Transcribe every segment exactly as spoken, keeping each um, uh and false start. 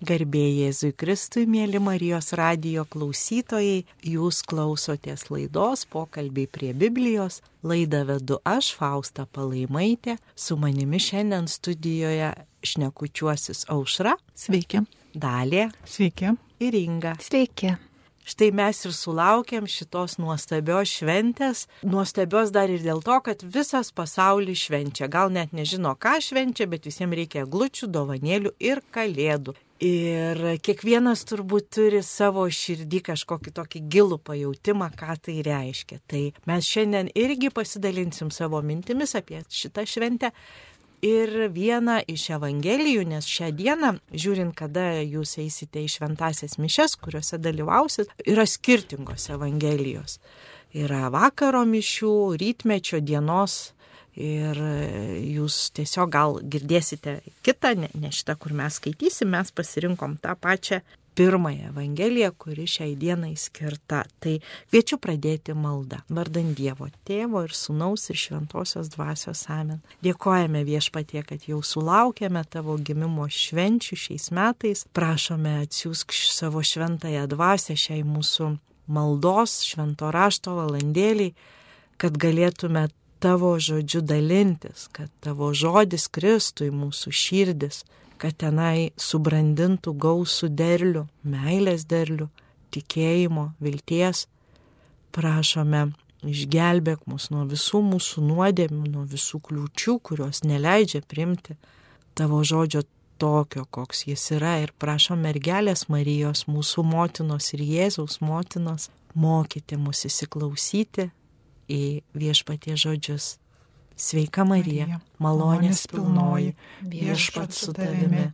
Garbė Jėzui Kristui, mėly Marijos radijo klausytojai, jūs klausotės laidos Pokalbiai prie Biblijos. Laidą vedu aš, Fausta Palaimaitė, su manimi šiandien studijoje šnekučiuosis Aušra. Sveiki. Dalė. Sveiki. Ir Inga. Sveiki. Štai mes ir sulaukėm šitos nuostabios šventės. Nuostabios dar ir dėl to, kad visas pasaulis švenčia. Gal net nežino, ką švenčia, bet visiems reikia eglučių, dovanėlių ir kalėdų. Ir kiekvienas turbūt turi savo širdį kažkokį tokį gilų pajautimą, ką tai reiškia. Tai mes šiandien irgi pasidalinsim savo mintimis apie šitą šventę. Ir vieną iš evangelijų, nes šią dieną, žiūrint, kada jūs eisite į šventasias mišias, kuriuose dalyvausit, yra skirtingos evangelijos. Yra vakaro mišių, rytmečio dienos. Ir jūs tiesiog gal girdėsite kitą, ne, ne šitą, kur mes skaitysim, mes pasirinkom tą pačią pirmąją evangeliją, kuri šiai dienai skirta. Tai kviečiu pradėti maldą. Vardan Dievo Tėvo ir Sūnaus ir Šventosios Dvasios. Amen. Dėkojame Viešpatie, kad jau sulaukėme tavo gimimo švenčių šiais metais. Prašome, atsiųsk savo šventąją dvasią šiai mūsų maldos, švento rašto valandėliai, kad galėtume tavo žodžiu dalintis, kad tavo žodis kristų į mūsų širdis, kad tenai subrandintų gausų derlių, meilės derlių, tikėjimo, vilties. Prašome, išgelbėk mus nuo visų mūsų nuodėmių, nuo visų kliūčių, kurios neleidžia priimti tavo žodžio tokio, koks jis yra. Ir prašom mergelės Marijos, mūsų motinos ir Jėzaus motinos, mokyti mus įsiklausyti į Viešpaties žodžius. Sveika Marija, malonės pilnoji, Viešpats su tavimi,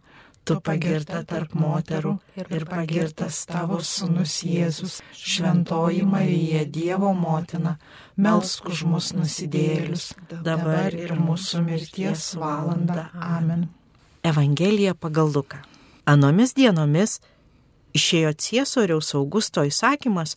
tu pagirta tarp moterų ir pagirtas tavo sūnus Jėzus. Šventoji Marija, Dievo motina, melsk už mus nusidėjėlius, dabar ir mūsų mirties valandą. Amen. Evangelija pagal Luką. Anomis dienomis išėjo Ciesoriaus Augusto įsakymas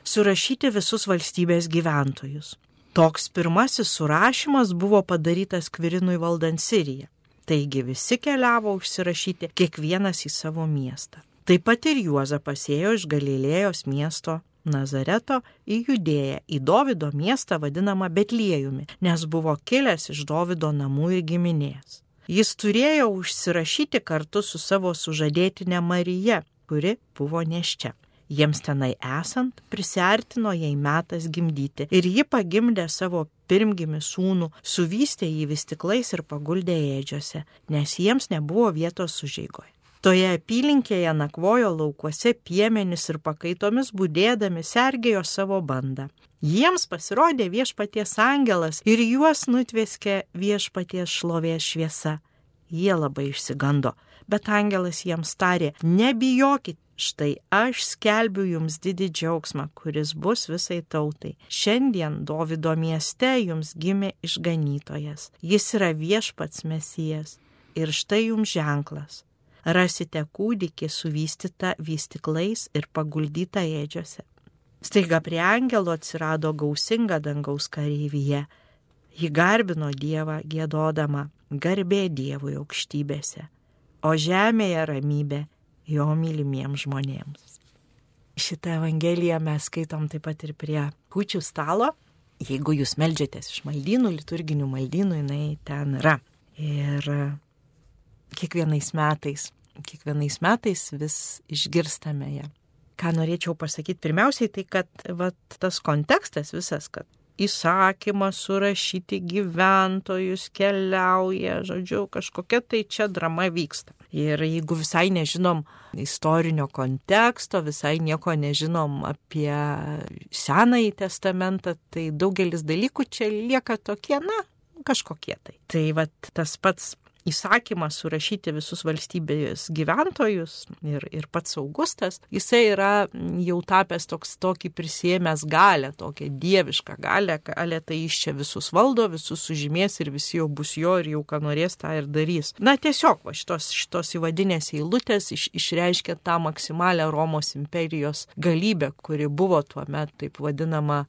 surašyti visus valstybės gyventojus. Toks pirmasis surašymas buvo padarytas Kvirinui valdant Siriją. Taigi visi keliavo užsirašyti, kiekvienas į savo miestą. Taip pat ir Juozapas ėjo iš Galilėjos miesto Nazareto į Judėją, į Dovydo miestą vadinamą Betliejumi, nes buvo kilęs iš Dovydo namų ir giminės. Jis turėjo užsirašyti kartu su savo sužadėtine Marija, kuri buvo nėščia. Jiems tenai esant, prisiartino jai metas gimdyti ir ji pagimdė savo pirmgimį sūnų, suvystė jį vystyklais ir paguldė ėdžiose, nes jiems nebuvo vietos užeigoje. Toje apylinkėje nakvojo laukuose piemenys ir pakaitomis budėdami sergėjo savo bandą. Jiems pasirodė Viešpaties angelas ir juos nutveskė Viešpaties šlovės šviesa. Jie labai išsigando, bet angelas jiems tarė: nebijokit. Štai aš skelbiu jums didį džiaugsmą, kuris bus visai tautai. Šiandien Dovydo mieste jums gimė išganytojas. Jis yra Viešpats Mesijas. Ir štai jums ženklas. Rasite kūdikį suvystytą vystyklais ir paguldytą ėdžiose. Staiga prie angelo atsirado gausinga dangaus kareivija. Ji garbino Dievą giedodama: garbė Dievui aukštybėse, o žemėje ramybė jo mylimiems žmonėms. Šitą evangeliją mes skaitom taip pat ir prie kūčių stalo. Jeigu jūs meldžiatės iš maldynų, liturginių maldynų, jinai ten yra. Ir kiekvienais metais, kiekvienais metais vis išgirstame ją. Ką norėčiau pasakyti? Pirmiausiai tai, kad vat, tas kontekstas visas, kad įsakymas surašyti gyventojus keliauja, žodžiu, kažkokia tai čia drama vyksta. Ir jeigu visai nežinom istorinio konteksto, visai nieko nežinom apie Senąjį testamentą, tai daugelis dalykų čia lieka tokie, na, kažkokie tai. Tai vat tas pats įsakymas surašyti visus valstybės gyventojus ir, ir pats Augustas, jisai yra jau tapęs toks tokį prisėmęs galę, tokią dievišką galę, galę tai iš čia visus valdo, visus sužymės ir visi jau bus jo ir jau ką norės tą ir darys. Na tiesiog va, šitos, šitos įvadinės eilutės iš, išreiškia tą maksimalią Romos imperijos galybę, kuri buvo tuo metu taip vadinama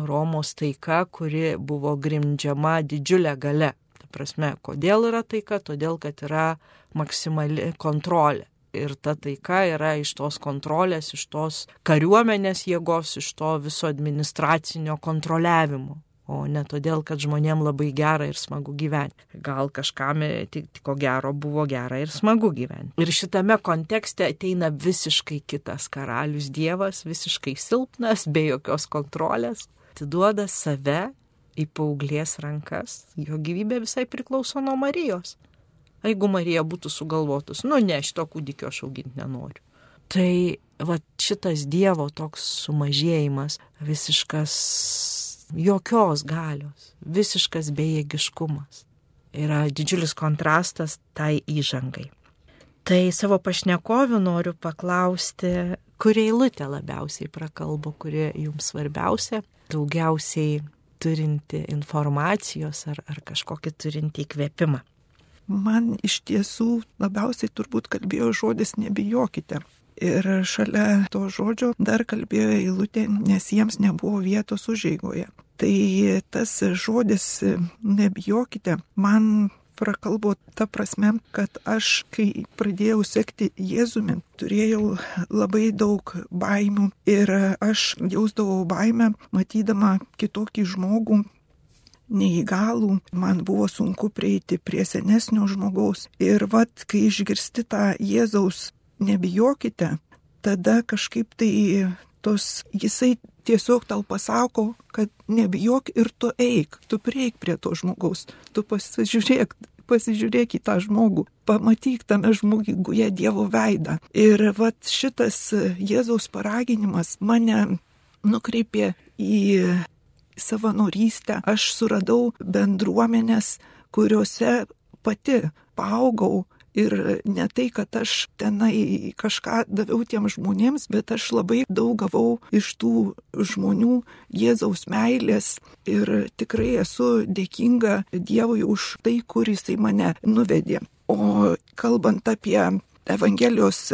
Romos taika, kuri buvo grindžiama didžiulė galia. Prasme, kodėl yra taika? Todėl, kad yra maksimali kontrolė. ir ta taika yra iš tos kontrolės, iš tos kariuomenės jėgos, iš to viso administracinio kontroliavimo. O ne todėl, kad žmonėm labai gera ir smagu gyventi. Gal kažkam tik ko gero buvo gera ir smagu gyventi. Ir šitame kontekste ateina visiškai kitas karalius Dievas, visiškai silpnas, be jokios kontrolės. Atiduoda save į paauglės rankas. Jo gyvybė visai priklauso nuo Marijos. Jeigu Marija būtų sugalvotus, nu ne, šito kūdikio aš auginti nenoriu. Tai va šitas Dievo toks sumažėjimas, visiškas jokios galios, visiškas bejėgiškumas. Yra didžiulis kontrastas tai įžangai. Tai savo pašnekovių noriu paklausti, kuri eilutė labiausiai prakalbo, kuri jums svarbiausia, daugiausiai turinti informacijos ar, ar kažkokį turinti įkvėpimą. Man iš tiesų labiausiai turbūt kalbėjo žodis nebijokite. Ir šalia to žodžio dar kalbėjo eilutė, nes jiems nebuvo vietos užeigoje. Tai tas žodis nebijokite man prakalbo ta prasme, kad aš, kai pradėjau sekti Jėzumi, turėjau labai daug baimių ir aš jausdavau baimę, matydama kitokį žmogų, neįgalų, man buvo sunku prieiti prie senesnio žmogaus. Ir vat, kai išgirsti tą Jėzaus nebijokite, tada kažkaip tai tos, jisai tiesiog tau pasako, kad nebijok ir tu eik, tu prieik prie to žmogaus, tu pasižiūrėk, pasižiūrėk į tą žmogų, pamatyk tame žmoguje Dievo veidą. Ir vat šitas Jėzaus paraginimas mane nukreipė į savanorystę. Aš suradau bendruomenės, kuriuose pati paaugau. Ir ne tai, kad aš tenai kažką daviau tiem žmonėms, bet aš labai daug gavau iš tų žmonių Jėzaus meilės ir tikrai esu dėkinga Dievui už tai, kur jisai mane nuvedė. O kalbant apie Evangelijos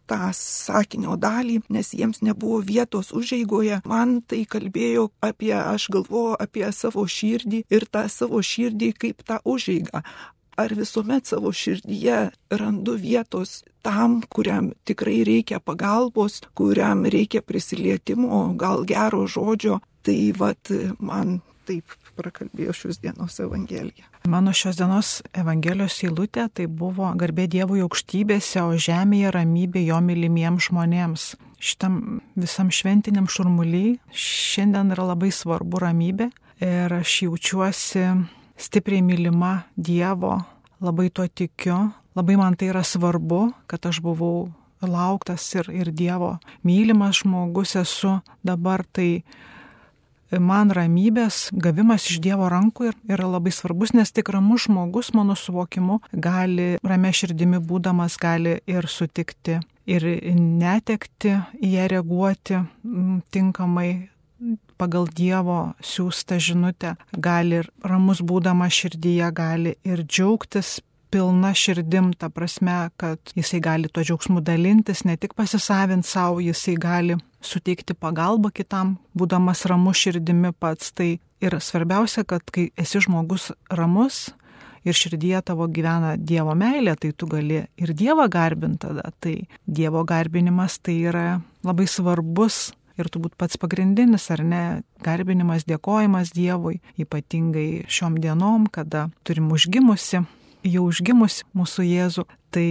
tą sakinio dalį, nes jiems nebuvo vietos užeigoje, man tai kalbėjo apie, aš galvoju apie savo širdį ir tą savo širdį kaip tą užeigą. Ar visuomet savo širdyje randu vietos tam, kuriam tikrai reikia pagalbos, kuriam reikia prisilietimo, gal gero žodžio. Tai vat man taip prakalbėjo šios dienos Evangelija. Mano šios dienos Evangelijos eilutė tai buvo garbė Dievui aukštybėse, o žemėje ramybė jo mylimiems žmonėms. Šitam visam šventiniam šurmuly šiandien yra labai svarbu ramybė ir aš jaučiuosi stipriai mylima Dievo, labai tuo tikiu, labai man tai yra svarbu, kad aš buvau lauktas ir, ir Dievo mylimas žmogus esu dabar, tai man ramybės gavimas iš Dievo rankų yra labai svarbus, nes tik ramus žmogus, mano suvokimu, gali ramia širdimi būdamas, gali ir sutikti, ir netekti, į ją reaguoti tinkamai, pagal Dievo siųstą žinutę, gali ir ramus būdama širdyje, gali ir džiaugtis pilna širdim, ta prasme, kad jisai gali tuo džiaugsmu dalintis, ne tik pasisavinti savo, jisai gali suteikti pagalbą kitam, būdamas ramus širdimi pats. Tai ir svarbiausia, kad kai esi žmogus ramus ir širdyje tavo gyvena Dievo meilė, tai tu gali ir Dievą garbinti tada. Tai Dievo garbinimas tai yra labai svarbus ir turbūt pats pagrindinis, ar ne, garbinimas, dėkojimas Dievui, ypatingai šiom dienom, kada turim užgimusi, jau užgimusi mūsų Jėzų, tai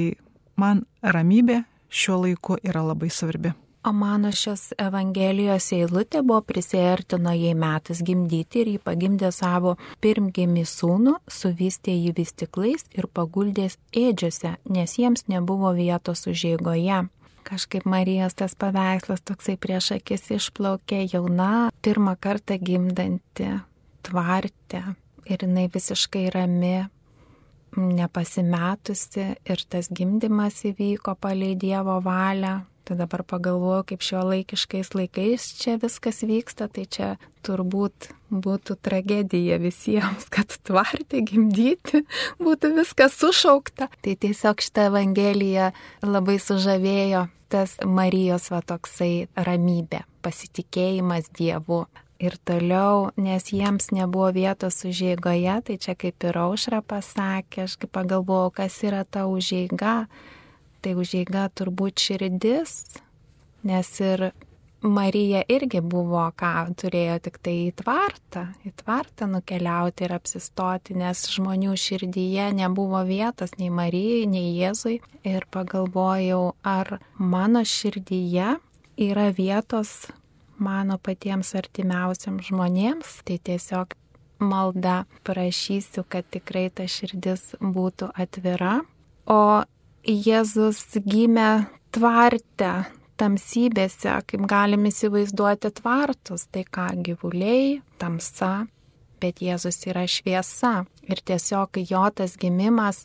man ramybė šiuo laiku yra labai svarbi. O mano šios Evangelijos eilutė buvo prisiartino jai metas gimdyti ir jį pagimdė savo pirmgimį sūnų, suvystė jį vystyklais ir paguldė ėdžiose, nes jiems nebuvo vietos užeigoje. Kažkaip Marijos tas paveikslas toksai prieš akis išplaukė, jauna, pirmą kartą gimdanti, tvartė ir jinai visiškai rami, nepasimetusi ir tas gimdymas įvyko palei Dievo valią. Tai dabar pagalvoju, kaip šio laikiškais laikais čia viskas vyksta, tai čia turbūt būtų tragedija visiems, kad tvarti, gimdyti, būtų viskas sušaukta. Tai tiesiog šitą Evangeliją labai sužavėjo tas Marijos va toksai ramybė, pasitikėjimas Dievu. Ir toliau, nes jiems nebuvo vietos užeigoje, tai čia kaip ir Aušra pasakė, aš kaip pagalvojau, kas yra ta užeiga. tai užeiga turbūt širdis, nes ir Marija irgi buvo, ką turėjo tik tai į tvartą, į tvartą nukeliauti ir apsistoti, nes žmonių širdyje nebuvo vietos nei Marijai, nei Jėzui. Ir pagalvojau, ar mano širdyje yra vietos mano patiems artimiausiams žmonėms, tai tiesiog malda prašysiu, kad tikrai ta širdis būtų atvira. O Jėzus gimė tvarte, tamsybėse, kaip galim įsivaizduoti tvartus, tai ką gyvuliai, tamsa, bet Jėzus yra šviesa. Ir tiesiog jo tas gimimas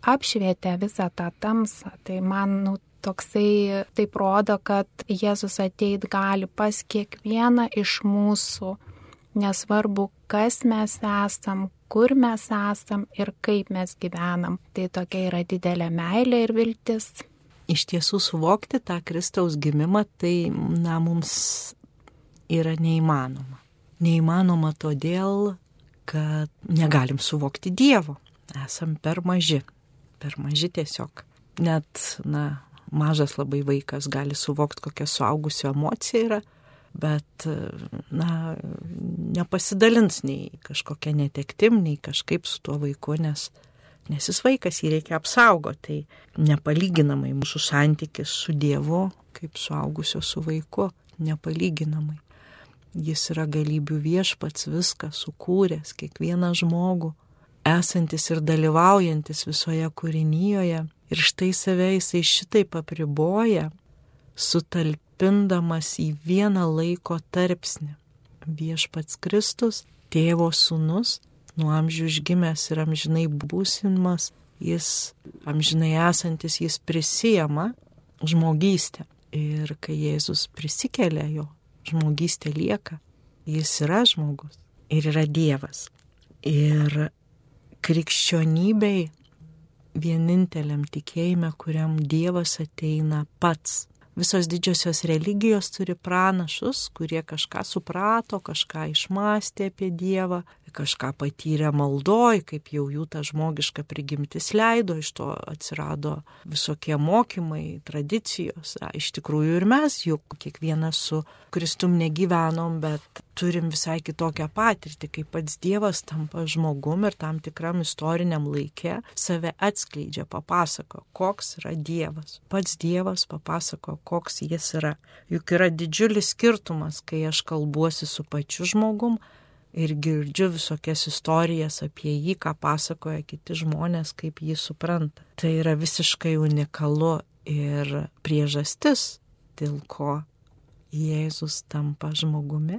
apšvietė visą tą tamsą. Tai man nu, toksai taip rodo, kad Jėzus ateit gali pas kiekvieną iš mūsų, nesvarbu, kas mes esam, kur mes esam ir kaip mes gyvenam. Tai tokia yra didelė meilė ir viltis. Iš tiesų suvokti tą Kristaus gimimą, tai na, mums yra neįmanoma. Neįmanoma todėl, kad negalim suvokti Dievo. Esam per maži. Per maži tiesiog. Net, na, mažas labai vaikas gali suvokti, kokia suaugusio emocija yra, bet, na, nepasidalins nei kažkokia netektim, nei kažkaip su tuo vaiku, nes, nes jis vaikas, jį reikia apsaugoti. Tai nepalyginamai mūsų santykis su Dievu, kaip suaugusio su vaiku, nepalyginamai. Jis yra galybių viešpats, viską sukūręs, kiekvieną žmogų, esantis ir dalyvaujantis visoje kūrinyjoje. Ir štai save jisai šitaip apriboja, sutalpindamas į vieną laiko tarpsnį. Viešpats Kristus, Tėvo sūnus, nuo amžių užgimęs ir amžinai būsimas, jis amžinai esantis, jis prisijama žmogystę. Ir kai Jėzus prisikelia, jo žmogystė lieka, jis yra žmogus ir yra Dievas. Ir krikščionybei, vieninteliam tikėjime, kuriam Dievas ateina pats. Visos didžiosios religijos turi pranašus, kurie kažką suprato, kažką išmastė apie Dievą, kažką patyrė maldoj, kaip jau jų ta žmogiška prigimtis leido, iš to atsirado visokie mokymai, tradicijos. A, iš tikrųjų ir mes juk kiekvienas su Kristum negyvenom, bet turim visai kitokią patirtį, kaip pats Dievas tampa žmogum ir tam tikram istoriniam laikė save atskleidžia, papasako, koks yra Dievas. Pats Dievas papasako, koks jis yra. Juk yra didžiulis skirtumas, kai aš kalbuosi su pačiu žmogum ir girdžiu visokias istorijas apie jį, ką pasakoja kiti žmonės, kaip jį supranta. Tai yra visiškai unikalu ir priežastis, dėl ko Jėzus tampa žmogumi.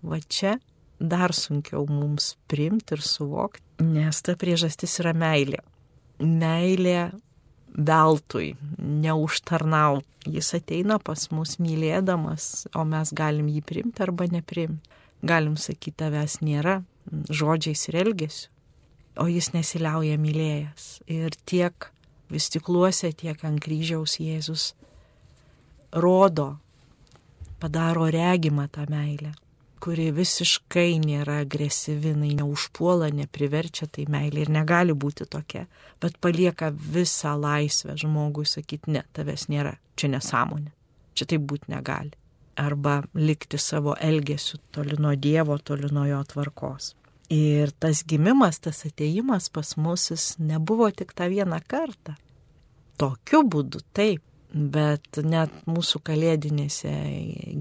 Va čia dar sunkiau mums priimti ir suvokti, nes ta priežastis yra meilė. Meilė veltui, neužtarnaut. Jis ateina pas mus mylėdamas, o mes galim jį priimti arba nepriimti. Galim sakyti, tavęs nėra, žodžiais ir elgesiu, o jis nesiliauja mylėjęs. Ir tiek vystikluose, tiek ant kryžiaus Jėzus rodo, padaro regimą tą meilę, kuri visiškai nėra agresyvi, neužpuola, nepriverčia, tai meilė ir negali būti tokia, bet palieka visą laisvę žmogui sakyti, ne, tavęs nėra, čia nesąmonė, čia taip būti negali. Arba likti savo elgesiu toli nuo Dievo, toli nuo jo tvarkos. Ir tas gimimas, tas atėjimas pas mus jis nebuvo tik tą vieną kartą. Tokiu būdu taip, bet net mūsų kalėdinėse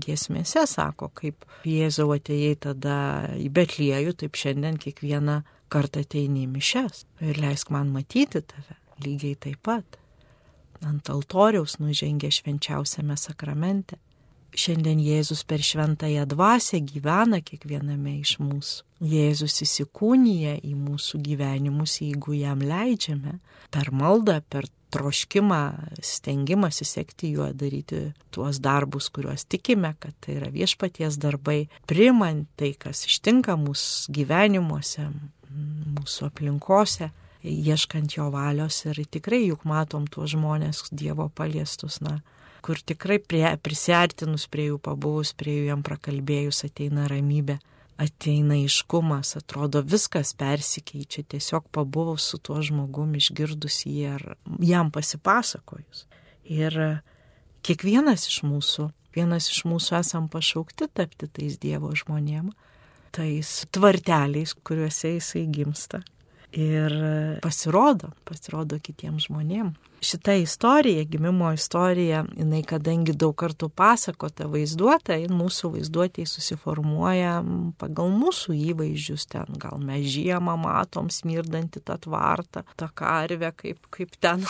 giesmėse sako, kaip Jėzau atėjai tada į Betliejų, taip šiandien kiekvieną kartą ateini į mišias. Ir leisk man matyti tave, lygiai taip pat. Ant altoriaus nužengė švenčiausiame sakramente. Šiandien Jėzus per šventąją dvasią gyvena kiekviename iš mūsų. Jėzus įsikūnija į mūsų gyvenimus, jeigu jam leidžiame, per maldą, per troškimą, stengimąsi sekti juo, daryti tuos darbus, kuriuos tikime, kad tai yra viešpaties darbai, priimant tai, kas ištinka mūsų gyvenimuose, mūsų aplinkose, ieškant jo valios. Ir tikrai juk matom tuos žmonės Dievo paliestus, na, kur tikrai prie, prisiartinus prie jų, pabuvus prie jų, jam prakalbėjus ateina ramybė. ateina aiškumas, atrodo viskas persikeičia, tiesiog pabuvus su tuo žmogumi, išgirdus jį ar jam pasipasakojus. Ir kiekvienas iš mūsų, vienas iš mūsų esam pašaukti tapti tais Dievo žmonėm, tais tvarteliais, kuriuose jisai gimsta. Ir pasirodo, pasirodo kitiems žmonėm. Šita istorija, gimimo istorija, jinai kadangi daug kartų pasakota, vaizduota, mūsų vaizduotėje susiformuoja pagal mūsų įvaizdžius ten. Gal mes žiemą matom smirdantį tą tvartą, tą karvę, kaip, kaip ten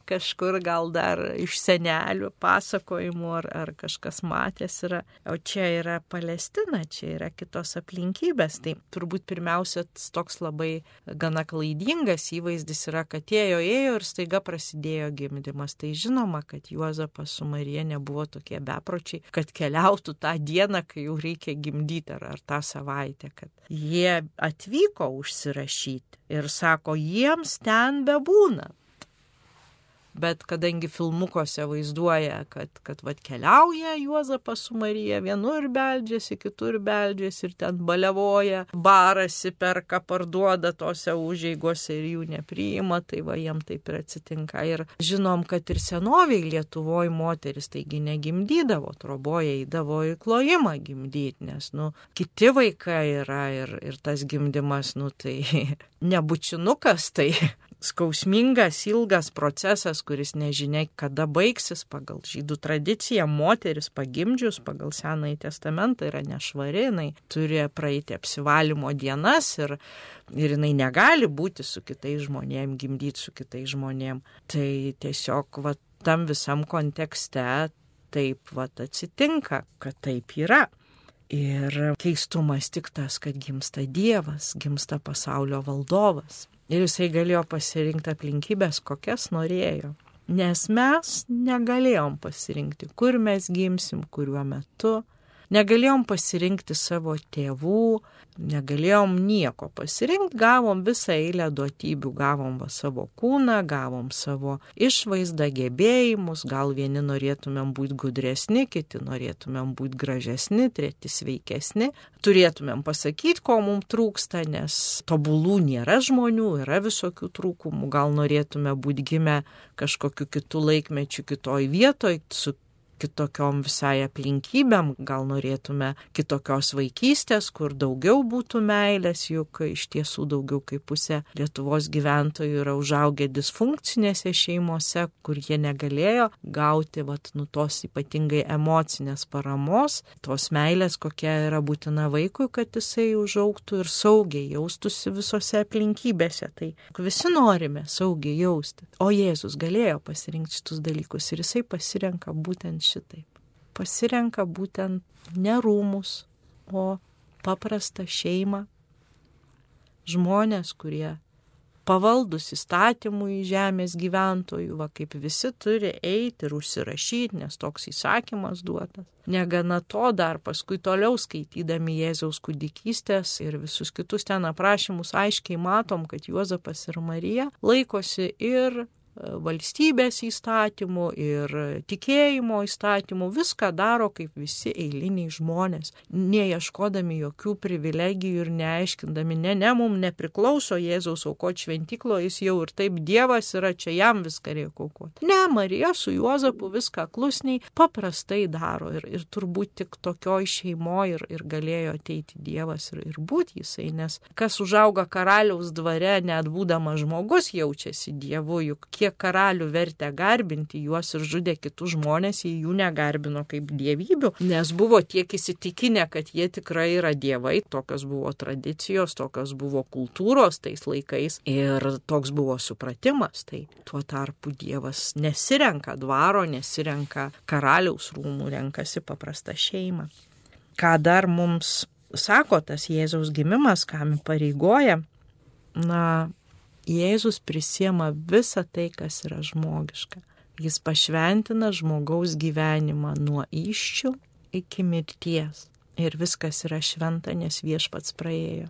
kažkur gal dar iš senelių pasakojimų ar, ar kažkas matęs yra. O čia yra Palestina, čia yra kitos aplinkybės. Tai turbūt pirmiausia toks labai gana klaidingas įvaizdis yra, kad ėjo, ėjo ir staiga prasidėjo gimdymas. Tai žinoma, kad Juozapas su Marija nebuvo tokie bepročiai, kad keliautų tą dieną, kai jau reikia gimdyti ar, ar tą savaitę, kad jie atvyko užsirašyti ir sako, jiems ten bebūna. Bet kadangi filmukuose vaizduoja, kad, kad vat, keliauja Juozapas su Marija, vienur beldžiasi, kitur beldžiasi ir ten balevoja, barasi, perka, parduoda tose užeigose ir jų nepriima, tai va jiem taip ir atsitinka. Ir žinom, kad ir senoviai Lietuvoje moteris taigi negimdydavo, troboje įdavo į klojimą gimdyti, nes nu, kiti vaikai yra ir, ir tas gimdymas, nu tai nebučinukas, tai skausmingas, ilgas procesas, kuris nežinia, kada baigsis. Pagal žydų tradiciją moteris pagimdžius pagal Senąjį testamentą yra nešvari, jinai turi praeiti apsivalymo dienas ir, ir jinai negali būti su kitais žmonėm, gimdyti su kitais žmonėm. Tai tiesiog va, tam visam kontekste taip va, atsitinka, kad taip yra. Ir keistumas tik tas, kad gimsta Dievas, gimsta pasaulio valdovas. Ir jisai galėjo pasirinkti aplinkybės, kokias norėjo. Nes mes negalėjom pasirinkti, kur mes gimsim, kuriuo metu. Negalėjom pasirinkti savo tėvų, negalėjom nieko pasirinkti, gavom visą eilę duotybių, gavom va savo kūną, gavom savo išvaizdą, gebėjimus, gal vieni norėtumėm būti gudresni, kiti norėtumėm būti gražesni, treti sveikesni, turėtumėm pasakyti, ko mums trūksta, nes tobulų nėra žmonių, yra visokių trūkumų, gal norėtume būti gimę kažkokiu kitų laikmečių, kitoj vietoj, su kitokiom visai aplinkybėm, gal norėtume kitokios vaikystės, kur daugiau būtų meilės, juk iš tiesų daugiau kaip pusė Lietuvos gyventojų yra užaugę disfunkcinėse šeimose, kur jie negalėjo gauti vat, nu, tos ypatingai emocinės paramos, tos meilės, kokia yra būtina vaikui, kad jisai užaugtų ir saugiai jaustųsi visose aplinkybėse. Tai visi norime saugiai jausti. O Jėzus galėjo pasirinkti šitus dalykus ir jisai pasirenka būtent šitaip. Pasirenka būtent ne rūmus, o paprastą šeimą, žmonės, kurie pavaldus įstatymui žemės gyventojų, va kaip visi turi eiti ir užsirašyti, nes toks įsakymas duotas. Negana to, dar paskui toliau skaitydami Jėzaus kūdikystės ir visus kitus ten aprašymus aiškiai matom, kad Juozapas ir Marija laikosi ir valstybės įstatymų ir tikėjimo įstatymų, viską daro kaip visi eiliniai žmonės, neieškodami jokių privilegijų ir neaiškindami, ne, ne, mums nepriklauso Jėzaus aukoti šventyklo, jis jau ir taip Dievas yra, čia jam viską reikia aukoti. Ne, Marija su Juozapu viską klusniai paprastai daro ir, ir turbūt tik tokioj šeimoje ir, ir galėjo ateiti Dievas ir, ir būti jisai, nes kas užauga karaliaus dvare, net būdamas žmogus jaučiasi Dievu, juk kiek karalių vertė garbinti juos ir žudė kitus žmonės, jie jų negarbino kaip dievybių, nes buvo tiek įsitikinę, kad jie tikrai yra dievai, tokios buvo tradicijos, tokios buvo kultūros tais laikais ir toks buvo supratimas. Tai tuo tarpu Dievas nesirenka dvaro, nesirenka karaliaus rūmų, renkasi paprastą šeimą. Ką dar mums sako tas Jėzaus gimimas, kam įpareigoja? Na, Jėzus prisiema visą tai, kas yra žmogiška. Jis pašventina žmogaus gyvenimą nuo įsčių iki mirties. Ir viskas yra šventa, nes Viešpats praėjo.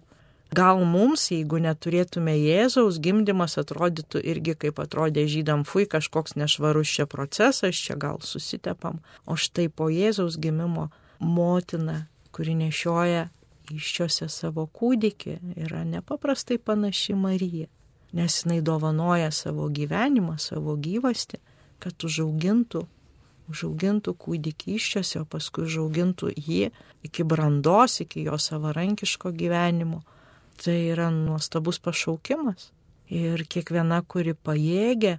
Gal mums, jeigu neturėtume Jėzaus, gimdymas atrodytų irgi kaip atrodė žydam, fui, kažkoks nešvarus čia procesas, čia gal susitepam. O štai po Jėzaus gimimo motina, kuri nešioja iščiose savo kūdikį, yra nepaprastai panaši Marija, nes jinai dovanoja savo gyvenimą, savo gyvastį, kad užaugintų, užaugintų kūdikį iščiose, o paskui užaugintų jį iki brandos, iki jo savarankiško gyvenimo. Tai yra nuostabus pašaukimas. Ir kiekviena, kuri pajėgia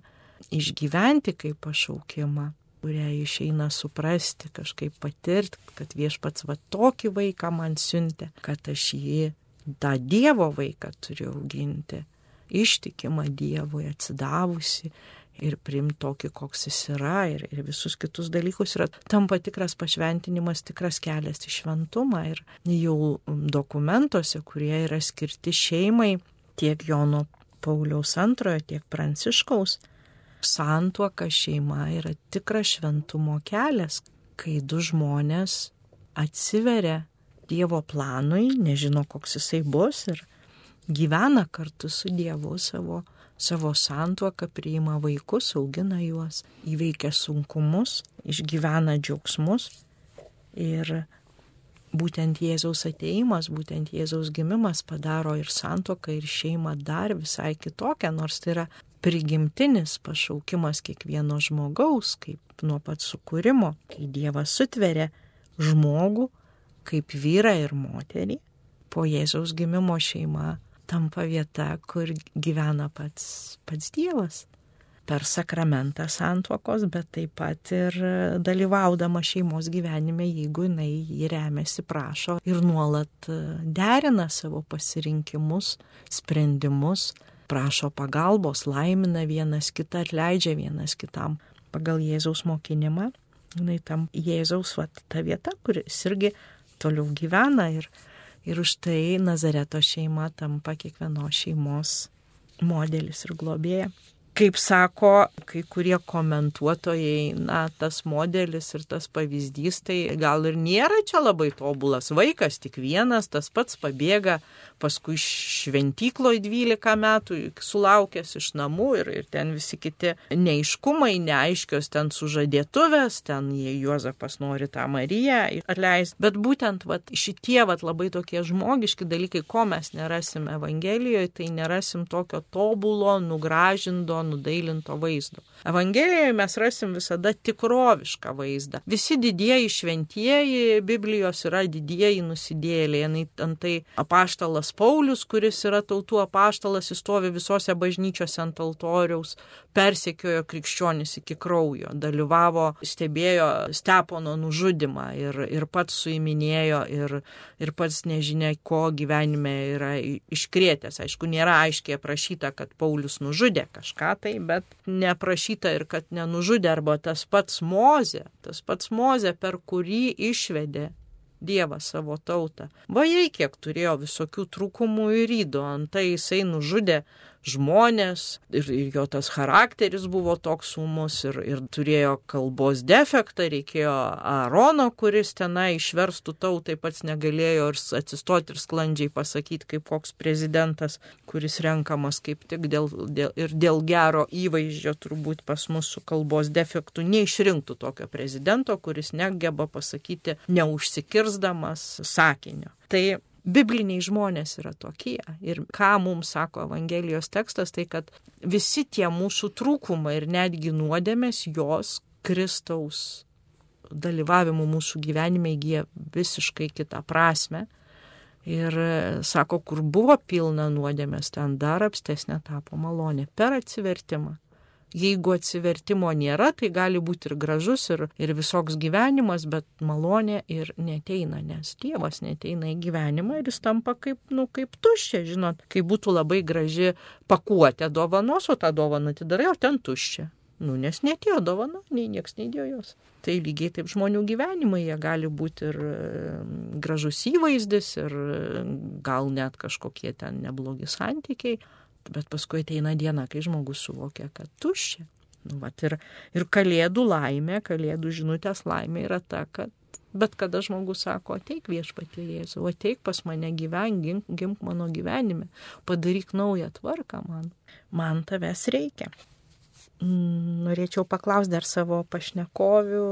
išgyventi kaip pašaukimą, kurią išeina suprasti, kažkaip patirti, kad viešpats va tokį vaiką man siuntė, kad aš jį, tą Dievo vaiką turiu auginti, ištikimą Dievui, atsidavusi ir priimti tokį, koks jis yra, ir, ir visus kitus dalykus yra tampa tikras pašventinimas, tikras kelias į šventumą. Ir jau dokumentuose, kurie yra skirti šeimai, tiek Jono Pauliaus antrojo, tiek Pranciškaus, santuoka, šeima yra tikras šventumo kelias, kai du žmonės atsiveria Dievo planui, nežino, koks jisai bus, ir gyvena kartu su Dievu savo, savo santuoką, priima vaikus, augina juos, įveikia sunkumus, išgyvena džiaugsmus. Ir būtent Jėzaus ateimas, būtent Jėzaus gimimas padaro ir santuoką, ir šeimą dar visai kitokią, nors tai yra prigimtinis pašaukimas kiekvieno žmogaus, kaip nuo pat sukūrimo, kai Dievas sutveria žmogų kaip vyrą ir moterį. Po Jėzaus gimimo šeima tampa vieta, kur gyvena pats, pats Dievas. Per sakramentą santuokos, bet taip pat ir dalyvaudama šeimos gyvenime, jeigu jinai jį remiasi, prašo ir nuolat derina savo pasirinkimus, sprendimus, prašo pagalbos, laimina vienas kitą, atleidžia vienas kitam. Pagal Jėzaus mokinimą, jinai tam Jėzaus vat, ta vieta, kuris irgi toliau gyvena, ir, ir už tai Nazareto šeima tampa kiekvienos šeimos modelis ir globėja. Kaip sako kai kurie komentuotojai, na, tas modelis ir tas pavyzdys, tai gal ir nėra čia labai tobulas. Vaikas tik vienas, tas pats pabėga, paskui šventykloje dvylika metų, sulaukęs iš namų, ir, ir ten visi kiti neaiškumai, neaiškios ten sužadėtuvės, ten jie Juozapas nori tą Mariją atleisti. Bet būtent vat, šitie vat, labai tokie žmogiški dalykai, ko mes nerasim Evangelijoje, tai nerasim tokio tobulo, nugražindo, nudailinto vaizdo. Evangelijoje mes rasim visada tikrovišką vaizdą. Visi didieji šventieji Biblijos yra didieji nusidėjėliai. Antai apaštalas Paulius, kuris yra tautų apaštalas, jis stovi visose bažnyčiose ant altoriaus, persekiojo krikščionis iki kraujo, dalyvavo, stebėjo Stepono nužudymą ir, ir pats suiminėjo ir, ir pats nežinia, ko gyvenime yra iškrėtęs. Aišku, nėra aiškiai aprašyta, kad Paulius nužudė kažką, tai, bet neprašyta ir kad nenužudė, arba tas pats Mozė, tas pats Mozė, per kurį išvedė Dievas savo tautą. Vajai, kiek turėjo visokių trūkumų ir ydų, antai jisai nužudė žmonės ir, ir jo tas charakteris buvo toks ūmus ir, ir turėjo kalbos defektą, reikėjo Aarono, kuris tenai išverstų tautai, pats negalėjo ir atsistoti ir sklandžiai pasakyti, kaip koks prezidentas, kuris renkamas kaip tik dėl, dėl, ir dėl gero įvaizdžio, turbūt pas mus su kalbos defektu neišrinktų tokio prezidento, kuris negeba pasakyti neužsikirsdamas sakinio. Tai bibliniai žmonės yra tokie. Ir ką mums sako Evangelijos tekstas, tai kad visi tie mūsų trūkumai ir netgi nuodėmės, jos Kristaus dalyvavimu mūsų gyvenime įgyja visiškai kitą prasme. Ir sako, kur buvo pilna nuodėmės, ten dar apstesnė tapo malonė per atsivertimą. Jeigu atsivertimo nėra, tai gali būti ir gražus, ir, ir visoks gyvenimas, bet malonė ir neteina, nes Dievas neteina į gyvenimą ir jis tampa kaip, nu, kaip tuščia, žinot, kai būtų labai graži pakuotė dovanos, o tą dovaną atidarai, o ten tuščia. Nu, nes netėjo dovana, nei nieks neįdėjo jos. Tai lygiai taip žmonių gyvenimai, jie gali būti ir gražus įvaizdis, ir gal net kažkokie ten neblogi santykiai. Bet paskui ateina diena, kai žmogus suvokia, kad tuščia. Nu, vat, ir, ir kalėdų laimė, kalėdų žinutės laimė yra ta, kad bet kada žmogus sako, ateik Viešpatie Jėzau, ateik pas mane gyven, gimk, gimk mano gyvenime, padaryk naują tvarką man. Man tavęs reikia. Norėčiau paklausti dar savo pašnekovių,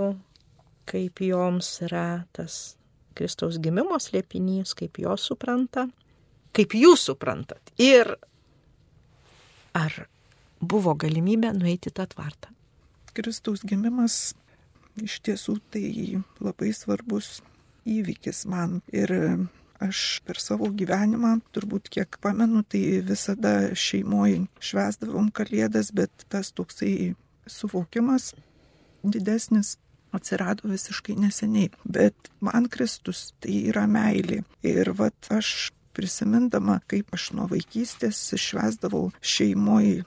kaip joms yra tas Kristaus gimimo slėpinys, kaip jo supranta, kaip jūs suprantat. Ir ar buvo galimybė nueiti tą tvartą? Kristaus gimimas iš tiesų tai labai svarbus įvykis man. Ir aš per savo gyvenimą, turbūt kiek pamenu, tai visada šeimoje švęsdavom Kalėdas, bet tas toksai suvokimas didesnis atsirado visiškai neseniai. Bet man Kristus tai yra meilė. Ir vat aš prisimindama, kaip aš nuo vaikystės švęsdavau šeimoje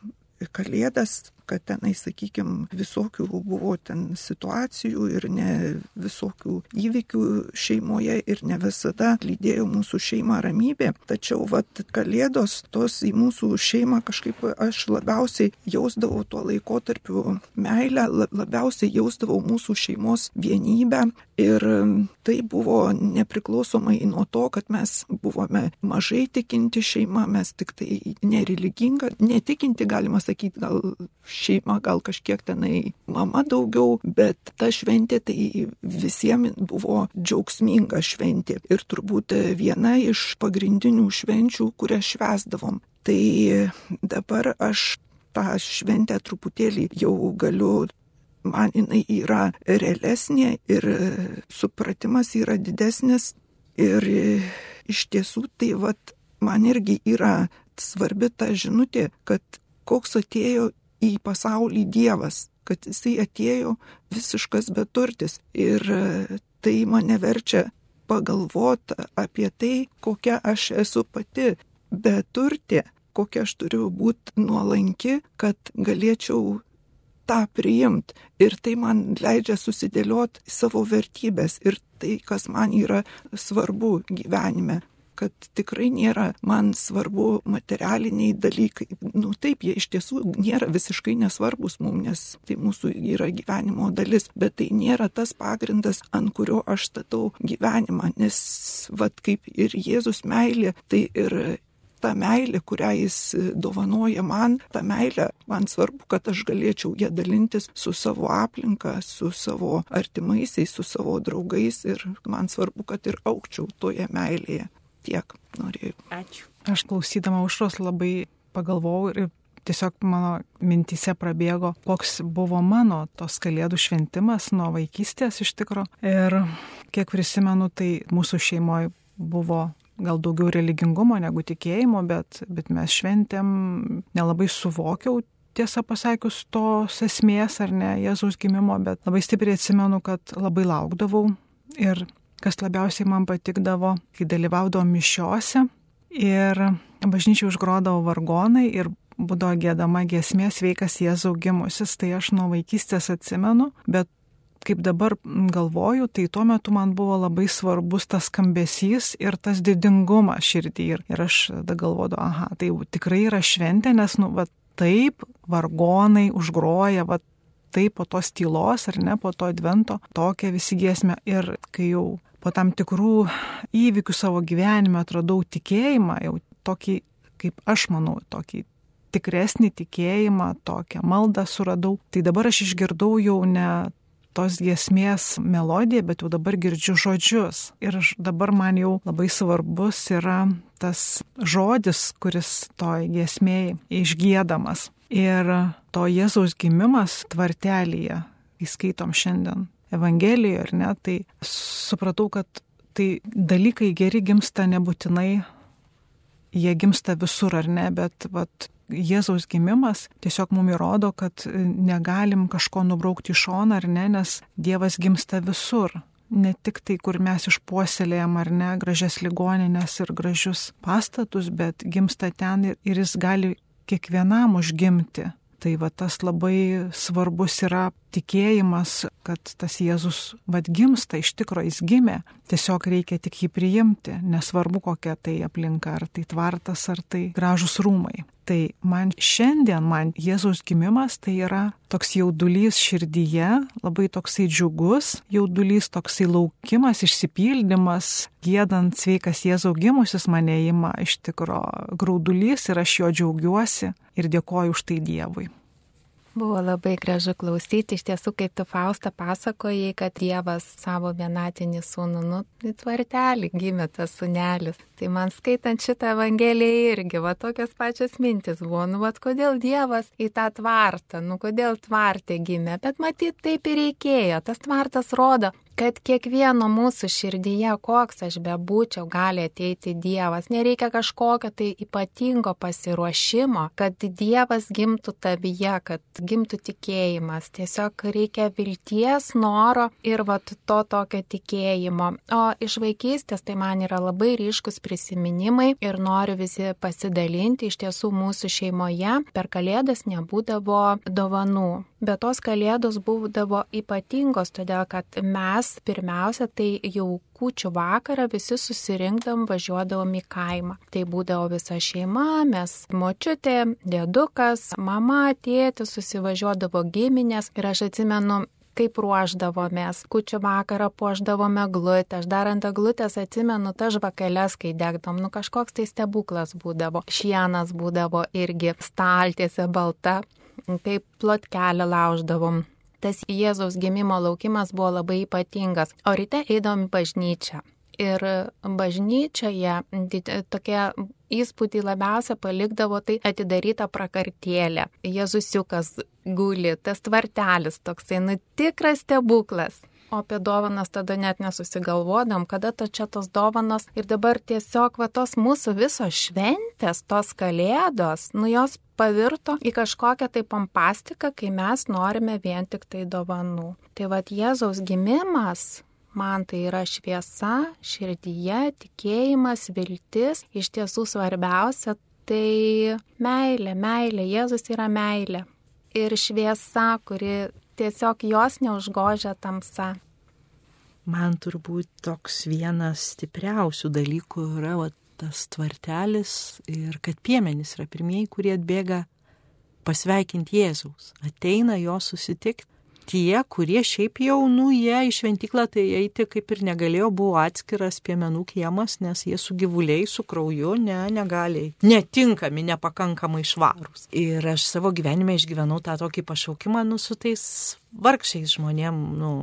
Kalėdas, kad tenai, sakykime, visokių buvo ten situacijų ir ne visokių įvykių šeimoje ir ne visada lydėjo mūsų šeimą ramybė. Tačiau vat Kalėdos tos į mūsų šeimą kažkaip aš labiausiai jausdavau tuo laikotarpiu meilę, labiausiai jausdavau mūsų šeimos vienybę. Ir tai buvo nepriklausomai nuo to, kad mes buvome mažai tikinti šeima, mes tik tai nereliginga, netikinti, galima sakyti, gal šeima, gal kažkiek tenai mama daugiau, bet ta šventė tai visiems buvo džiaugsminga šventė. Ir turbūt viena iš pagrindinių švenčių, kurią švęsdavom. Tai dabar aš tą šventę truputėlį jau galiu, man jinai yra realesnė ir supratimas yra didesnis. Ir iš tiesų tai vat, man irgi yra svarbi ta žinutė, kad koks atėjo į pasaulį Dievas, kad jisai atėjo visiškas beturtis. Ir tai mane verčia pagalvoti apie tai, kokia aš esu pati beturtė, kokia aš turiu būti nuolanki, kad galėčiau tą priimti. Ir tai man leidžia susidėlioti savo vertybės ir tai, kas man yra svarbu gyvenime. Kad tikrai nėra man svarbu materialiniai dalykai. Nu taip, jie iš tiesų nėra visiškai nesvarbus mums, nes tai mūsų yra gyvenimo dalis, bet tai nėra tas pagrindas, ant kurio aš statau gyvenimą, nes vat kaip ir Jėzus meilė, tai ir ta meilė, kurią jis dovanoja man, ta meilė, man svarbu, kad aš galėčiau ją dalintis su savo aplinka, su savo artimaisiais, su savo draugais ir man svarbu, kad ir augčiau toje meilėje. Tiek norėjau. Ačiū. Aš klausydama Aušros labai pagalvojau ir tiesiog mano mintyse prabėgo, koks buvo mano tos Kalėdų šventimas nuo vaikystės iš tikro. Ir kiek prisimenu, tai mūsų šeimoje buvo gal daugiau religingumo negu tikėjimo, bet, bet mes šventėm, nelabai suvokiau, tiesą pasakius, tos esmės ar ne Jėzaus gimimo, bet labai stipriai atsimenu, kad labai laukdavau ir kas labiausiai man patikdavo, kai dalyvaudavau mišiose ir bažnyčiai užgrodavo vargonai ir būdavo giedama giesmė Sveikas Jėzau gimusis, tai aš nuo vaikystės atsimenu, bet kaip dabar galvoju, tai tuo metu man buvo labai svarbus tas skambesys ir tas didingumas širdį ir, ir aš tada galvodavau, aha, tai tikrai yra šventė, nes nu, va, taip vargonai užgroja, va, taip po tos tylos ar ne, po to advento, tokia visi giesmė ir kai jau po tam tikrų įvykių savo gyvenime atradau tikėjimą, jau tokį, kaip aš manau, tokį tikresnį tikėjimą, tokią maldą suradau. Tai dabar aš išgirdau jau ne tos giesmės melodiją, bet jau dabar girdžiu žodžius. Ir dabar man jau labai svarbus yra tas žodis, kuris toj giesmėje išgiedamas. Ir to Jėzaus gimimas tvartelyje, įskaitom šiandien Evangelijoje, ar ne, tai supratau, kad tai dalykai geri gimsta nebūtinai, jie gimsta visur, ar ne, bet vat, Jėzaus gimimas tiesiog mums įrodo, kad negalim kažko nubraukti iš šoną, ar ne, nes Dievas gimsta visur. Ne tik tai, kur mes išpuoselėjam, ar ne, gražias ligoninės ir gražius pastatus, bet gimsta ten ir, ir jis gali kiekvienam užgimti. Tai va tas labai svarbus yra tikėjimas, kad tas Jėzus vad gimsta, iš tikro jis gimė, tiesiog reikia tik jį priimti, nesvarbu kokia tai aplinka, ar tai tvartas, ar tai gražus rūmai. Tai man šiandien, man Jėzaus gimimas tai yra toks jaudulys širdyje, labai toksai džiugus jaudulys, toksai laukimas, išsipildymas, giedant Sveikas Jėzau gimusis mane ima iš tikro graudulys ir aš jo džiaugiuosi ir dėkoju už tai Dievui. Buvo labai gražu klausyti, iš tiesų, kaip tu, Fausta, pasakojai, kad Dievas savo vienatinį sūnų, nu, į tvartelį gimė tas sūnelis. Tai man skaitant šitą Evangeliją irgi, va, tokios pačios mintis buvo, nu, va, kodėl Dievas į tą tvartą, nu, kodėl tvartė gimė, bet matyt, taip ir reikėjo. Tas tvartas rodo, kad kiekvieno mūsų širdyje, koks aš bebūčiau, gali ateiti Dievas. Nereikia kažkokio tai ypatingo pasiruošimo, kad Dievas gimtų tavyje, kad gimtų tikėjimas. Tiesiog reikia vilties, noro ir vat to tokio tikėjimo. O iš vaikystės tai man yra labai ryškus prisiminimai ir noriu visi pasidalinti. Iš tiesų mūsų šeimoje per Kalėdas nebūdavo dovanų. Bet tos Kalėdos būdavo ypatingos, todėl kad mes pirmiausia tai jau kūčių vakarą visi susirinkdavom, važiuodavom į kaimą. Tai būdavo visa šeima, mes močiutė, dėdukas, mama, tėtis, susivažiuodavo giminės ir aš atsimenu, kaip ruošdavomės. Kūčių vakarą puošdavome eglutę. Aš dar ant eglutės atsimenu tas žvakeles, kai degdom. Nu kažkoks tai stebuklas būdavo. Šienas būdavo irgi staltiesė balta. Kaip plotkelį lauždavom. Tas Jėzaus gimimo laukimas buvo labai ypatingas. O ryte eidavom į bažnyčią. Ir bažnyčioje tokie įspūdį labiausia palikdavo tai atidaryta prakartėlė. Jėzusiukas guli, tas tvartelis toksai, nu tikras stebuklas. O apie dovanas tada net nesusigalvodom, kada ta čia tos dovanos. Ir dabar tiesiog va tos mūsų visos šventės, tos Kalėdos, nu jos pavirto į kažkokią tai pompastiką, kai mes norime vien tik tai dovanų. Tai va Jėzaus gimimas, man tai yra šviesa, širdyje, tikėjimas, viltis. Iš tiesų svarbiausia tai meilė, meilė. Jėzus yra meilė. Ir šviesa, kuri tiesiog jos neužgožia tamsa. Man turbūt toks vienas stipriausių dalykų yra va, tas tvartelis ir kad piemenys yra pirmieji, kurie atbėga pasveikinti Jėzaus. Ateina jo susitikti. Tie, kurie šiaip jau, nu, jie į šventyklą tai eiti kaip ir negalėjo, buvo atskiras piemenų kiemas, nes jie su gyvuliai, su krauju, ne, negali, netinkami, nepakankamai švarūs. Ir aš savo gyvenime išgyvenau tą tokį pašaukimą, nu, su tais vargšiais žmonėm, nu,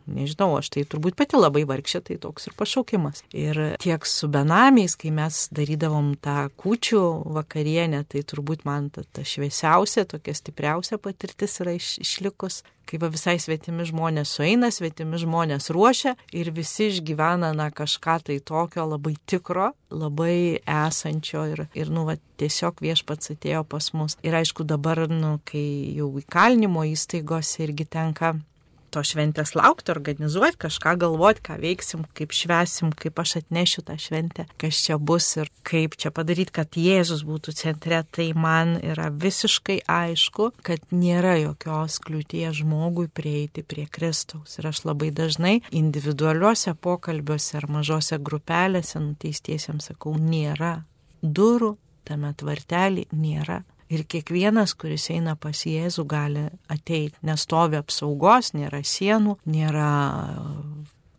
nežinau, aš tai turbūt pati labai vargšė, tai toks ir pašaukimas. Ir tiek su benamiais, kai mes darydavom tą kūčių vakarienę, tai turbūt man ta, ta šviesiausia, tokia stipriausia patirtis yra iš, išlikus, kai va visai svetimi žmonės sueina, svetimi žmonės ruošia ir visi išgyvena na, kažką tai tokio labai tikro, labai esančio ir, ir nu, va, tiesiog Viešpats atėjo pas mus. Ir aišku dabar, nu, kai jau įkalinimo įstaigose irgi tenka to šventės laukti, organizuoti, kažką galvoti, ką veiksim, kaip švesim, kaip aš atnešiu tą šventę, kas čia bus ir kaip čia padaryti, kad Jėzus būtų centre, tai man yra visiškai aišku, kad nėra jokios kliūties žmogui prieiti prie Kristaus. Ir aš labai dažnai individualiuose pokalbiuose ar mažose grupelėse nuteistiesiems sakau, nėra durų, tame tvartelį nėra. Ir kiekvienas, kuris eina pas Jėzų, gali ateiti. Nestovi apsaugos, nėra sienų, nėra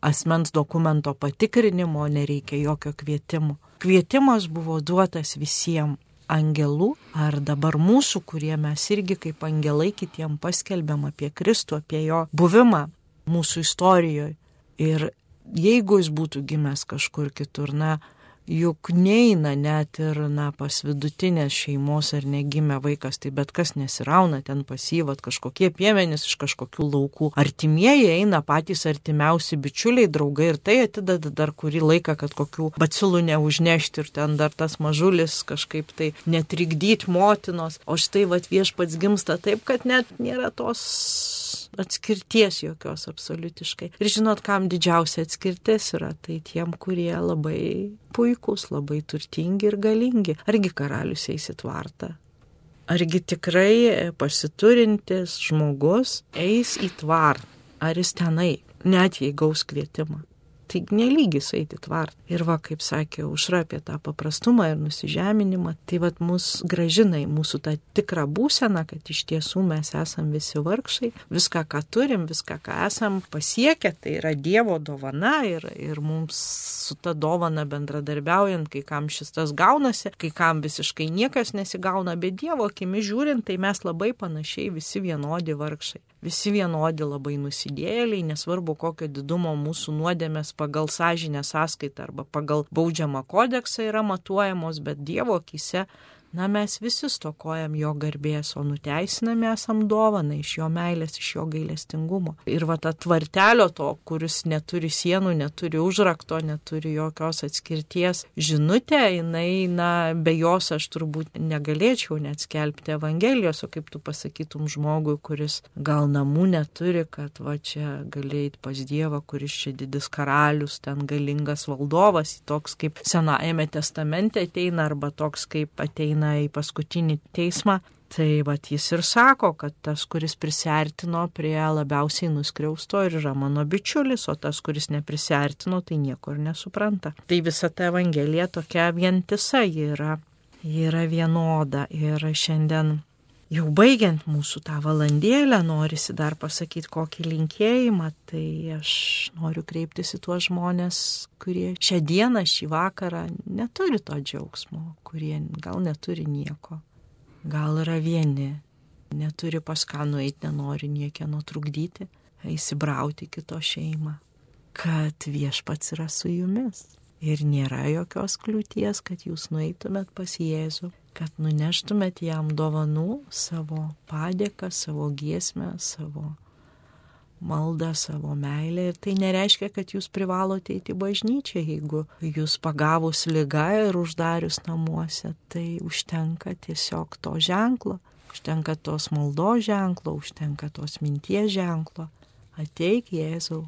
asmens dokumento patikrinimo, nereikia jokio kvietimo. Kvietimas buvo duotas visiems angelų, ar dabar mūsų, kurie mes irgi kaip angelai kitiem paskelbėm apie Kristų, apie jo buvimą mūsų istorijoje. Ir jeigu jis būtų gimęs kažkur kitur, na, juk neina net ir na, pas vidutinės šeimos ar negimė vaikas, tai bet kas nesirauna ten pasyvat kažkokie piemenys iš kažkokių laukų. Artimieji eina patys artimiausi bičiuliai, draugai ir tai atideda dar kurį laiką, kad kokių bacilų neužnešti ir ten dar tas mažulis kažkaip tai netrikdyti motinos. O štai vat Viešpats gimsta taip, kad net nėra tos atskirties jokios absoliutiškai. Ir žinot, kam didžiausia atskirtis yra, tai tiem, kurie labai puikūs, labai turtingi ir galingi. Argi karalius eis į tvartą? Argi tikrai pasiturintis žmogus eis į tvartą? Ar jis tenai, net jei gaus kvietimą? Tai nelygis eiti tvart. Ir va, kaip sakė Aušra apie tą paprastumą ir nusižeminimą, tai va mus gražina į mūsų tą tikrą būseną, kad iš tiesų mes esam visi vargšai, viską, ką turim, viską, ką esam pasiekę, tai yra Dievo dovana ir, ir mums su ta dovana bendradarbiaujant, kai kam šis tas gaunasi, kai kam visiškai niekas nesigauna, bet Dievo akimi žiūrint, tai mes labai panašiai visi vienodi vargšai. Visi vienodi labai nusidėjėliai, nesvarbu kokio didumo mūsų nuodėmės pagal sąžinę sąskaitą arba pagal baudžiamą kodeksą yra matuojamos, bet Dievo akyse, na mes visi stokojam jo garbės, o nuteisinami esam dovaną iš jo meilės, iš jo gailestingumo. Ir va ta tvartelio to, kuris neturi sienų, neturi užrakto, neturi jokios atskirties žinutė, jinai, na, be jos aš turbūt negalėčiau net skelbti Evangelijos, o kaip tu pasakytum žmogui, kuris gal namų neturi, kad va čia gali eiti pas Dievą, kuris čia didis karalius, ten galingas valdovas, toks kaip Senajame testamente ateina, arba toks kaip ateina į paskutinį teismą, tai vat jis ir sako, kad tas, kuris prisiartino prie labiausiai nuskriausto ir yra mano bičiulis, o tas, kuris neprisiartino, tai nieko ir nesupranta. Tai visa ta Evangelija tokia vientisa, ji yra, ji yra vienoda. Ir šiandien jau baigiant mūsų tą valandėlę, norisi dar pasakyti kokį linkėjimą, tai aš noriu kreiptis į tuos žmonės, kurie šią dieną, šį vakarą neturi to džiaugsmo, kurie gal neturi nieko, gal yra vieni, neturi pas ką nueiti, nenori niekieno trukdyti, įsibrauti kito šeimą, kad Viešpats yra su jumis ir nėra jokios kliūties, kad jūs nueitumėt pas Jėzų, kad nuneštumėt jam dovanų, savo padėką, savo giesmę, savo maldą, savo meilę. Ir tai nereiškia, kad jūs privalote eiti į bažnyčią, jeigu jūs pagavus ligą ir uždarius namuose, tai užtenka tiesiog to ženklo, užtenka tos maldos ženklo, užtenka tos minties ženklo. Ateik Jėzau,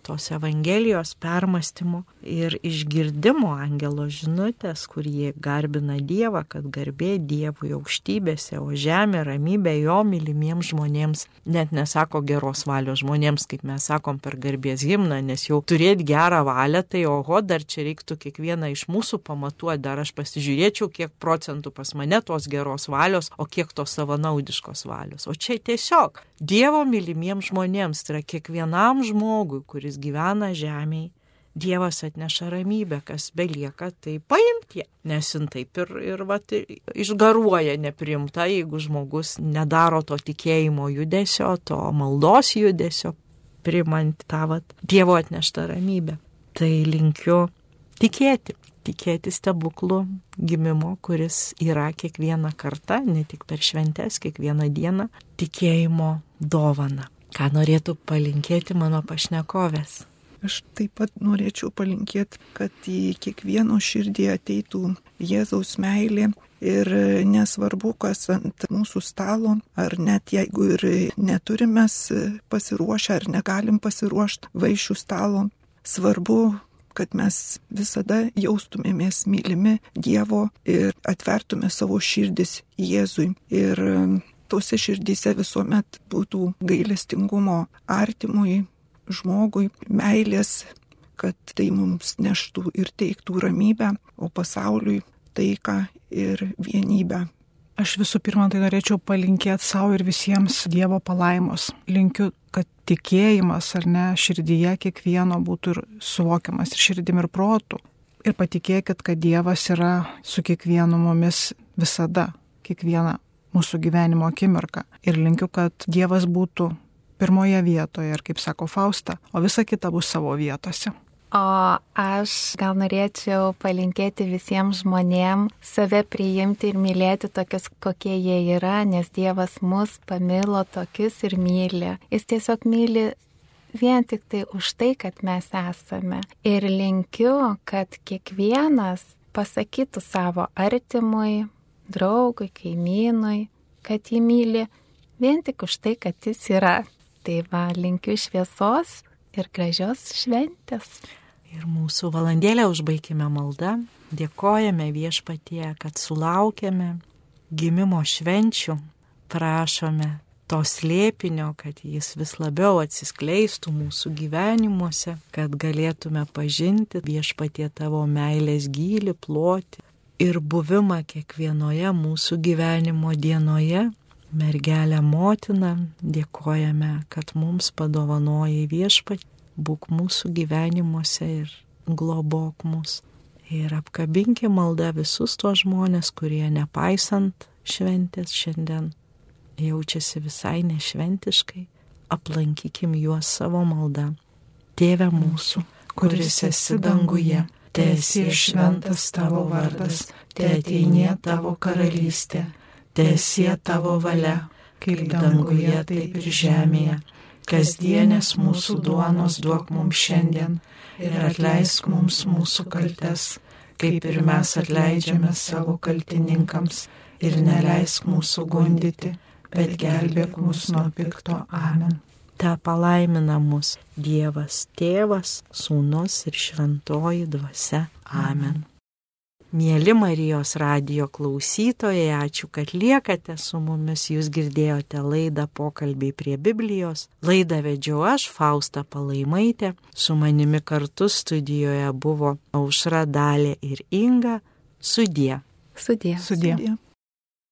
tos Evangelijos permąstymo ir išgirdimo angelo žinutės, kur jie garbina Dievą, kad garbė Dievui aukštybėse, o žemė ramybė jo mylimiems žmonėms, net nesako geros valios žmonėms, kaip mes sakom per garbės himną, nes jau turėti gerą valią, tai oho, dar čia reiktų kiekvieną iš mūsų pamatuoti, dar aš pasižiūrėčiau, kiek procentų pas mane tos geros valios, o kiek tos savanaudiškos valios. O čia tiesiog Dievo mylimiems žmonėms, tai yra kiekvienam žmogui, kuris gyvena žemėje, Dievas atneša ramybę, kas belieka, tai paimti, nes jin taip ir, ir vat, išgaruoja neprimta, jeigu žmogus nedaro to tikėjimo judesio, to maldos judesio, primant tą vat, Dievo atneštą ramybę. Tai linkiu tikėti, tikėti stebuklų gimimo, kuris yra kiekvieną kartą, ne tik per šventes, kiekvieną dieną, tikėjimo dovana. Ką norėtų palinkėti mano pašnekovės? Aš taip pat norėčiau palinkėti, kad į kiekvieno širdį ateitų Jėzaus meilė ir nesvarbu, kas ant mūsų stalo, ar net jeigu ir neturime pasiruošę ar negalim pasiruošti vaišių stalo, svarbu, kad mes visada jaustumėmės mylimi Dievo ir atvertume savo širdis Jėzui. Ir tose širdyse visuomet būtų gailestingumo artimui žmogui, meilės, kad tai mums neštų ir teiktų ramybę, o pasauliui taiką ir vienybę. Aš visų pirma tai norėčiau palinkėti savo ir visiems Dievo palaimos. Linkiu, kad tikėjimas ar ne širdyje kiekvieno būtų ir suvokiamas ir širdim ir protu. Ir patikėkit, kad Dievas yra su kiekvienu mumis visada, kiekvieną mūsų gyvenimo akimirką. Ir linkiu, kad Dievas būtų pirmoje vietoje, ir kaip sako Fausta, o visa kita bus savo vietose. O aš gal norėčiau palinkėti visiems žmonėms save priimti ir mylėti tokius, kokie jie yra, nes Dievas mus pamilo tokius ir myli. Jis tiesiog myli vien tik tai už tai, kad mes esame. Ir linkiu, kad kiekvienas pasakytų savo artimui, draugui, kaimynui, kad jį myli vien tik už tai, kad jis yra. Tai va, linkiu šviesos ir gražios šventės. Ir mūsų valandėlę užbaikime maldą. Dėkojame Viešpatie, kad sulaukėme gimimo švenčių. Prašome to slėpinio, kad jis vis labiau atsiskleistų mūsų gyvenimuose, kad galėtume pažinti Viešpatie tavo meilės gylį, plotį ir buvimą kiekvienoje mūsų gyvenimo dienoje. Mergelė motina, dėkojame, kad mums padovanojai Viešpatie, būk mūsų gyvenimuose ir globok mus. Ir apkabinki maldą visus tuos žmonės, kurie nepaisant šventės šiandien jaučiasi visai nešventiškai, aplankykim juos savo maldą. Tėve mūsų, kuris esi danguje, teesie šventas tavo vardas, teateinie tavo karalystė, teesie tavo valia, kaip danguje, taip ir žemėje. Kasdienės mūsų duonos duok mums šiandien ir atleisk mums mūsų kaltes, kaip ir mes atleidžiame savo kaltininkams, ir neleisk mūsų gundyti, bet gelbėk mus nuo pikto. Amen. Ta palaimina mus Dievas Tėvas, Sūnus ir Šventoji Dvasia. Amen. Mieli Marijos radijo klausytojai, ačiū, kad liekate su mumis. Jūs girdėjote laidą Pokalbiai prie Biblijos. Laidą vedžiau aš, Fausta Palaimaitė. Su manimi kartu studijoje buvo Aušra, Dalė ir Inga. Sudie. Sudie. Sudie.